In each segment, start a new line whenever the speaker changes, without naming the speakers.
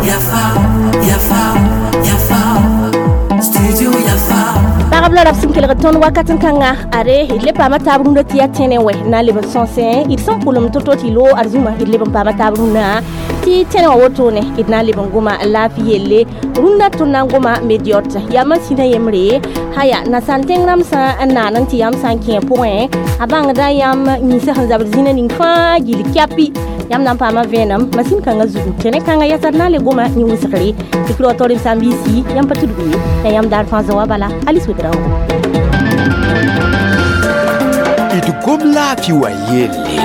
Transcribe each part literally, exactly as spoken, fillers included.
Yafa, Yafa, Yafa, Studio Yafa.
Pagb la rab sẽn kelg tõnd wakat n kãnga are d le paama taab rũndã tɩ yaa tẽne wɛ na n leb n sõsẽ d sẽn pʋlem to-to tɩ loog ad zũma d leb n paama taab rũndã tɩ tẽne wã wotone d na n leb n goma laafɩ yelle rũndã tõnd na n goma mediot yaa masĩnã yembre haya nasaal tẽng rãmb sã n naan n tɩ yãmb sã n kẽ pʋgẽ a bãngda yãmb yĩnsã sẽn zabd zĩnã ning fãa gill kɛpi yãmb na n paama vẽenem masin kãngã zugu tẽne kãngã yasad na n le goma yẽ wʋsgre tɩ kɩ rao sãn-biisi yãmb pa tudgu ye la yãmb daar fãa zoa bala Alice Ouedraogo.
D gom laafɩ wa yelle.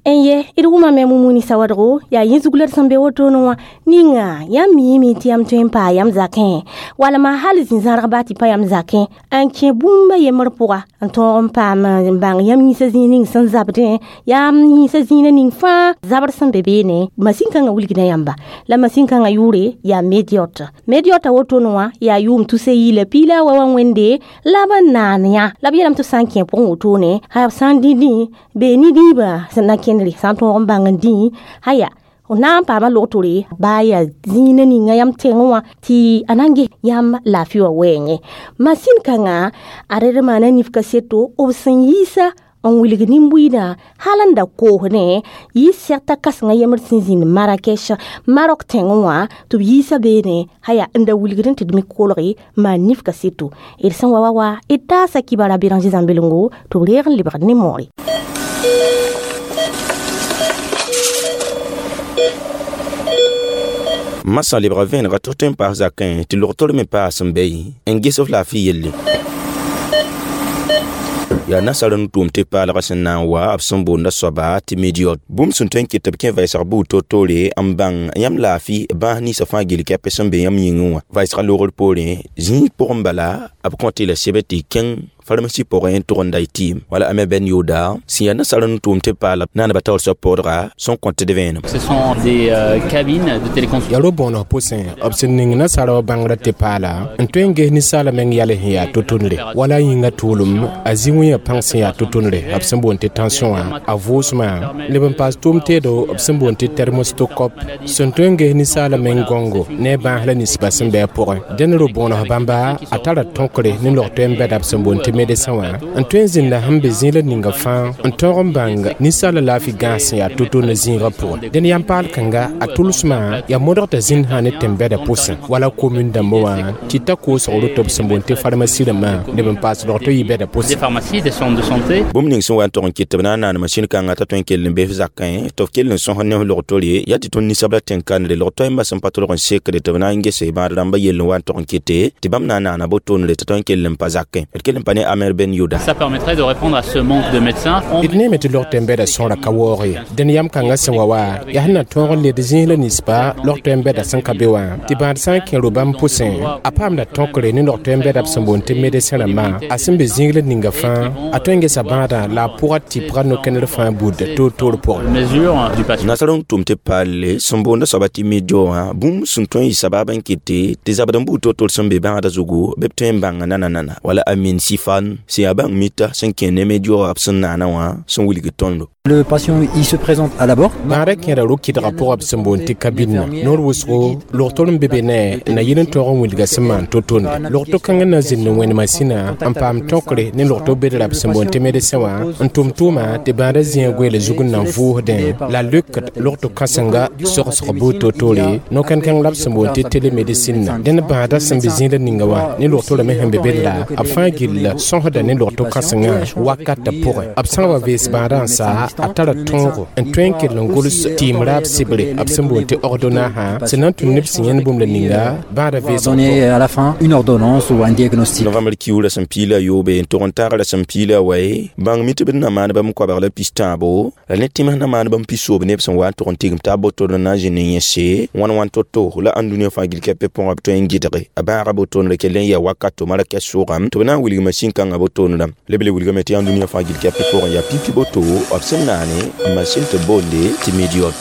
N ye d wʋmame mumuni sawadgo yaa yẽ zug la d sẽn be wotone wã ninga yãmb miime tɩ yãmb tõe n paa yãmb zakẽ walma hal zĩ-zãrg baa tɩ pa yãmb zakẽ n kẽ bũmba yembr pʋga n tõog n paam n bãng yãmb yĩnsã zĩig ning sẽn zabdẽ yãmb yĩnsã zĩigã ning fãa zabr sẽn be beene masin kãngã wilgda yãmba la masin kãngã yʋʋre yaa mediot mediot a wotone wã yaa yʋʋm tusa yi la piila wa wa wẽnde la b n naan yã la b yeelame tɩ b sã n kẽ pʋgẽ wotone b sã n dĩ dĩ bee ni-dĩibã sẽn na kẽndre sã n tõog n bãng n dĩ haya na n paama logtore baa yaa zĩigã ninga yãmb tẽngẽ wã tɩ a na n ges yãmb laafɩ wã wɛɛngẽ masin kãngã a red maana nif kaseto b sẽn yiisa n wilg nin-buiidã hal n da koosdẽ yɩ sɛgta kãsengã yembr sẽn zĩnd Marrakech Marok tẽngẽ wã tɩ b yiisa beene haya n da wilgd tɩ d me kolge maan nif kaseto d sẽn wa wa wa d taasa kibara Béranger Zãmbelengo tɩ b reeg n lebgd ne moore.
Masã lebga vẽenega tɩ f tõe n paas zakẽ tɩ logtor me paas n bɛy n ges f laafɩ yelle. Yaa nasaar n tʋʋm tɩ paalgã sẽn na n wa b sẽn boonda soaba tɩ mediot bũmb sẽn tõe n kɩt tɩ b kẽ vɛɛsg buud to-toore n bãng yãmb laafɩ bãas ninsã fãa gill kɛpɛ sẽn be yãmb yĩngẽ wã vɛɛsgã logr poorẽ zĩig pʋgẽ bala b kõt la sebr tɩ kẽng pharmacie pʋgẽ n tʋg n da y tɩɩm wala ame bɛn yooda sẽn yaa nasaar n tʋʋm tɩ paala naaneba taoor soab poodga sẽn kõt d vẽenem.
Ce sont des euh, cabines de téléconsultation.
Yaa ro-bõoneg pʋsẽ b sẽn ning nasaara wã bãngrã tɩ paala n tõe n ges ninsaala meng yɛl sẽn yaa to-tondre wala a yĩngã tʋʋlem a zĩ-wẽyã pãng sẽn yaa to-tondre b sẽn boond tɩ tension wã a vʋʋsmã leb n paas tʋʋm teedo b sẽn boond tɩ thermostokop sẽn tõe n ges ninsaala meng gõngo ne a bãas la ninsbã sẽn bɩ a pʋgẽ dẽn ro-bõoneg bãmba a tara tõkre ne log-toɛ n bɛda b sẽn boond tɩ médecin wã n tõe n zĩnda sẽn be zĩig la ninga fãa n tõog n bãng ninsaala laafɩ gãas sẽn yaa to-to ne zĩigã pʋgẽ dẽn yãmb paal kãnga a tʋlsmã yaa modg t'a zĩnd sã ne tẽn-bɛda pʋsẽ wala komin dãmbã wã tɩ ta koosg roto b sẽn boond tɩ pharmacie rãmbã leb n paas log to yɩ bɛda
Des
pʋsẽ.
pharmacies, des centres de santé.
Bũmb ning sẽn wa n tog n kɩt tɩ b na n naan masin kãngã t'a tõe n kell n bee f zakẽ tɩ f kell n sõs ne f logtore yaa tɩ tõnd ninsabla tẽn-kãndre log-toɛɛmbã sẽn pa tolg n sekde tɩ b na n gese bãad rãmbã yell n wa n tog n kɩte tɩ bãmb na n naana botondre tɩ tõe n kell n pa zakẽ d kell n pa ne Amer Ben Yuda.
Ça permettrait de répondre à ce manque de médecins. On
D neeme tɩ log tẽn-bɛda sõra ka waoog ye dẽn yam kãngã sẽn wa wa yaa sẽn na tõog n led zĩis la ninsba log tõe n bɛda sẽn ka be wã tɩ bãad sã n kẽ ro-bãmb pʋsẽ a paamda tõkre ne log tõe n bɛda b sẽn boond tɩ médecin rãmbã a sẽn be zĩig la ninga fãa a tõe n gesa bãadã la a pʋga tɩpga no-kẽnder fãa buud toor-toor pʋgẽ.
mesure du patient.
Nasaar n tʋm tɩ paalle sẽn boonda soaba tɩ medio wã bũmb sẽn tõe n yɩ sabab n kɩte tɩ zabd n buud to-toor sẽn be bãagda zugu bɩ b tõe n bãnga nana-nana wala Amin Sifan sẽn yaa bãng mita sẽn kẽ ne medio wã b sẽn naana wã sẽn wilg tõndo.
Le patient, il se présente à l'abord.
Bãadã kẽeda ro-kɩdgã pʋgã b sẽn boond tɩ kabinã noor wʋsgo logtor n be be ne na yɩl n tõog n wilga sẽn maan to-tonde logto kãngã na zĩnd n wẽnd masĩnã n paam tõkre ne logto bedra b sẽn boond tɩ médecin wã n tʋm tʋʋma tɩ bãadã zĩigã goeela zug n na n vʋʋsdẽ la leokd logto kãsenga sogsg buud to-toore no-kẽn-kãng la b sẽn boond tɩ télémédecine dẽn bãadã sẽn be zĩig la ninga wã ne logtorã me sẽn be bedra b fãa gill sõsda ne logto kãsengã wakatã pʋgẽ b sã n wa vees bãadã n sa a tara tõogo n tõe n kell n gʋls tɩɩm raab sɩbre b sẽn boond tɩ ordonnance sẽn na n tũn neb sẽn yẽnd bũmb la ninga bãada veesg
Donner à la fin une ordonnance ou un diagnostic.
Novembre kiuura sẽn piila yoobe n tog n tagra sẽn piila wae bãng mi tɩ b na maan bãmb koabg la pis-tãabo la ne tẽms na maan bãmb pi-soob neb sẽn wa n tog n tigim taab botond n na n zĩnd n yẽse wãn wãn to-to la ãndũniyã fãa gill kɛpɛ pʋgã b tõe n gɩdge a bãaga botondre kell n yaa wakato marakɛs sʋgã tɩ b na n wilg masin kãngã botondrã la b le wilgame tɩ ãndũniyã fãa gill kɛpɛ pʋgẽ yaa pipi boto b sẽn naane masin tɩ boonde tɩ mediot.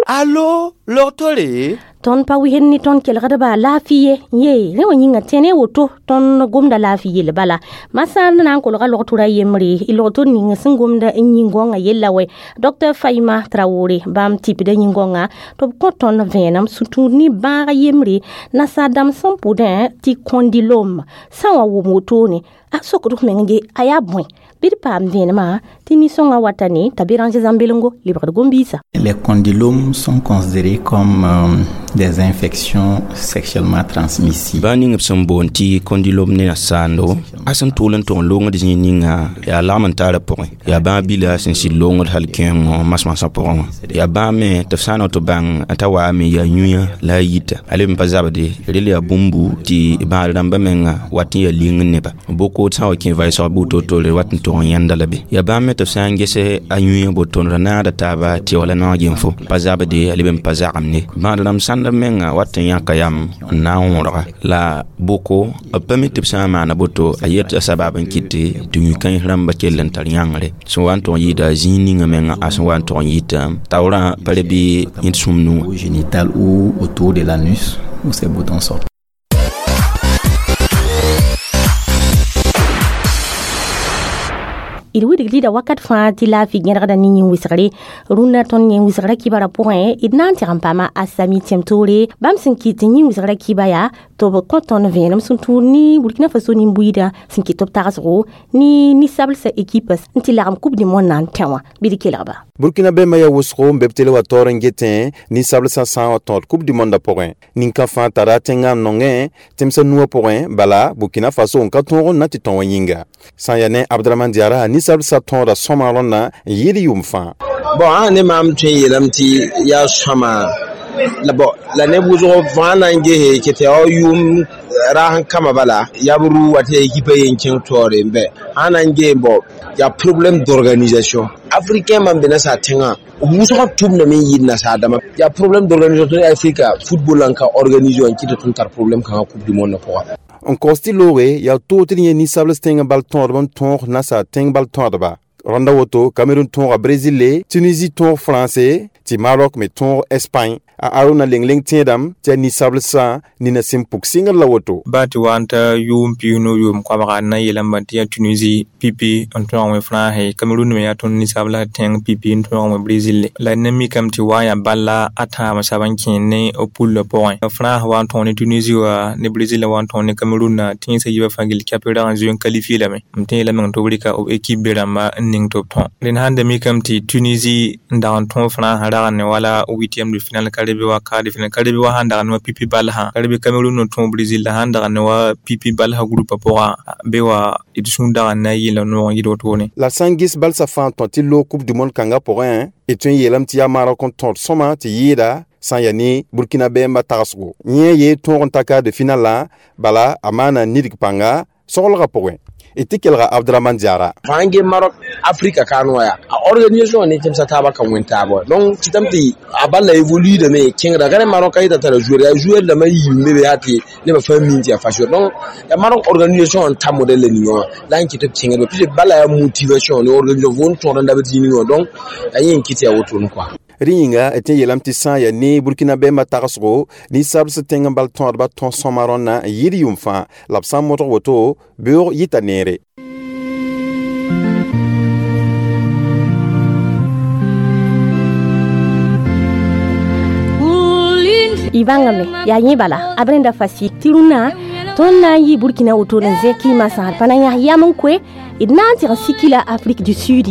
Allo, logtore.
Tõnd pa wisd ne tõnd kelgdba laafɩ ye. Ye rẽ wã yĩnga tẽne woto tõnd gomda laafɩ yell bala. Masã na n kolga logtora yembre y logtor ning sẽn gomda n yĩn-gõngã yella wɛ. Docteur Faima Traoré bãmb tipda yĩn-gõngã tɩ b kõ tõnd vẽenem sũ-tũud ne bãag yembre nasaar dãmb sẽn pʋdẽ tɩ condylome sã n wa wʋm wotone a sokd f meng ge a yaa bõe bɩ d paam vẽenemã tɩ nin-sõngã wata ne t'a Béranger Zãmbelengo lebgd gom-biisã.
Les condylomes sont considérés comme euh, des infections sexuellement transmissibles.
Bã ning b sẽn boond tɩ condylome ne nasaando a sẽn tʋʋl n tʋg n loongd zĩig ninga yaa lagm n taara pʋgẽ yaa bãag bila sẽn sɩd loongd hal kẽengõ masmasã pʋgẽ wã yaa bãag me tɩ f sã n tɩ bãng t'a waame yaa yũyã la a yita a leb n pa zabde rel yaa bũmbu tɩ bãad rãmbã menga wat n yaa ling neba boko sã n wa kẽ vaɩsg bʋ to-tore wat n tʋg n yãnda la be yaa bãmb me tɩ f sã n gese a yũyã boto ra naada taaba tɩ wala naoog gẽnfo pa zabde a leb n pa zagem bãad rãmb sãnd menga wat n yãka yam n na n wõrga la boko b pa mi tɩ b sã n maana boto a yet a sabab n kɩte tɩ yũ-kãens rãmba kell n tar yãngre sẽn wa n tʋg n yɩɩda zĩig ninga menga a sẽn wa n tʋg n yɩta taoorã pa re bɩ yẽd sũm nu wã.
Génital ou autour de l'anus où ces boutons sortent.
D wilg lida wakat fãa tɩ laafɩ gẽdgda ne yĩn-wɩsgre rũnnã tõnd yĩn-wɩsgrã kibara pʋgẽ d na n tɩg n paama a sami tẽm-toore bãmb sẽn kɩt tɩ yĩn-wɩsgrã kiba yaa tɩ b kõ tõnd vẽenem sẽn tũud ne Burkina Faso nin-buiidã sẽn kɩt tɩ b tagsgo ne ninsabsã ekipa n tɩ lagem Coupe du monde na n tẽ wã bɩ d kelgba.
Burkina bɛmba yaa wʋsgo n be b tele wa taoor n getẽ ninsabsã sã n wa tõod Coupe du monde pʋgẽ nin-kã fãa tara tẽngã n nongẽ tẽmsã nuwã pʋgẽ bala Burkina Faso n ka tõog n na tɩ tõ wã yĩnga sã n yaa ne Abdraman Diara ninsabsã tõoda sõma rõnna n yɩɩd yʋʋm fãa.
Bon ã ne maam tõe n yeelame tɩ yaa sõma la bon la neb wʋsg fãa na n gese kɩ tɩ yaa yʋʋm raas n kama bala yaa b rʋ wa tɩ yaa ekipa yen kẽng taoore n bɛ sã na n gee bon yaa problème d'organisation africain man be nasaar tẽngã b wʋsgã tʋmdame n yɩɩd nasaar dãmba yaa problème d'organisation Afrika football n ka organise n kɩ tɩ tõnd tar problème kãngã Coupe du monde pʋga.
N kaoos tɩ looge yaa toog tɩ d yẽ ninsabls tẽng bal tõodb n tõog nasaar tẽng bal tõodba rõnda woto Cameroun tõoga Brésil le Tunisie tõog France tɩ Maroc me tõog Espagne a Aruna leng-leng tẽedame tɩ yaa ninsablsã nina sẽn puk sɩngr la woto.
Ba tɩ wa n ta yʋʋm piisnu yʋʋm koabga n na n yeelame tɩ yaa Tunisie pipi n tõog wẽ France Cameroun me yaa tõnd ninsabla tẽng pipi n tõog wẽ Brésil la neb mikame tɩ wa n yaa balla a tãab sab n kẽen ne b pullã pʋgẽ France wa n tõog ne Tunisie wa ne Brésil wa n tõog ne Cameroun tẽnsã yiibã fãa gill kɛp rag n zoe n qualifier lame m tẽ yeelame tɩ b rɩka b équipe be rãmba n ning tɩ b tõ rẽnd sãn da mikame tɩ Tunisie n dag n tõog France rag ne wala huitième de finale ka be wa quart de finale ka be wa sãn dag ne wa pipi balsã ka be Cameroun n tõog Brésil la sãn dag ne wa pipi balsã groupa pʋgã be wa d sũur dag n na n yɩla noog n yɩd wotone.
La sã n ges balsã fãa n tõt tɩ loog Coupe du monde kãngã pʋgẽ d tõe n yeelame tɩ yaa Maroc n tõod sõma tɩ yɩɩda sã n yaa ne Burkina bɛɛmbã tagsgo yẽ yee tõog n ta quart de finale bala a maana nidg pãnga soglgã pʋgẽ d tɩ kelga Abdraman Diara.
Fãa n ge Maroc Afrika kaan wã yaa a organisation ne tẽmsã taabã ka wẽn taabã donc kɩtame tɩ a balla évoluidame kẽngda ka ne Maroc ka yeta tara joueur yaa joueur dãmbã yiim be be yaa tɩ nebã fãa min tɩ yaa fasio donc yaa Maroc organisation n ta modèle ninga wã la n kɩ tɩ b kẽngdba puisque bala yaa motivation ne organisation fo n tõod n dabd zĩig ninga wã donc yaa yẽ n kɩ tɩ yaa wotone quoi.
Rẽ yĩnga d tẽ n yeelame tɩ sã n yaa ne Burkina bɛɛmbã tagsgo ninsabs tẽng n bal tõodba tõs sõma rõnna n yɩɩd yʋʋm fãa la b sã n modg woto beoog yɩta neere.
Y bãngame yaa yẽ bala a b rẽnda fasi tɩ rũnnã tõnd na n yɩ Burkina woto n zẽ kɩɩmã sãad pa na yãs yam n koe d na n tɩg n siki la Afrique du Sud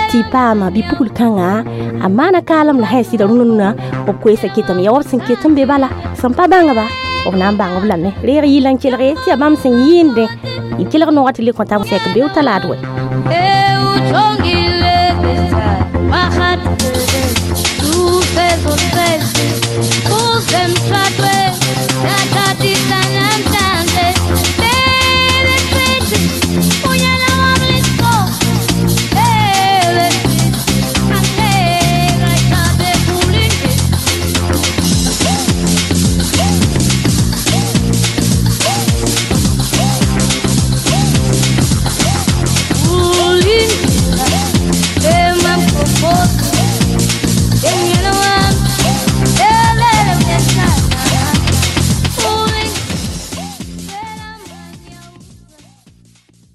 tɩ paama bɩ-pugl kãnga a maana kaalem la sã sɩda rũnnã b koeesã ketame yaa wa b sẽn ket n be bala sẽn pa bãngba b na n bãng b lame reeg yɩl n kelge tɩ yaa bãmb sẽn yɩɩndẽ y kelg noogã tɩ le kõ tab sɛk beoog talaad wɛ.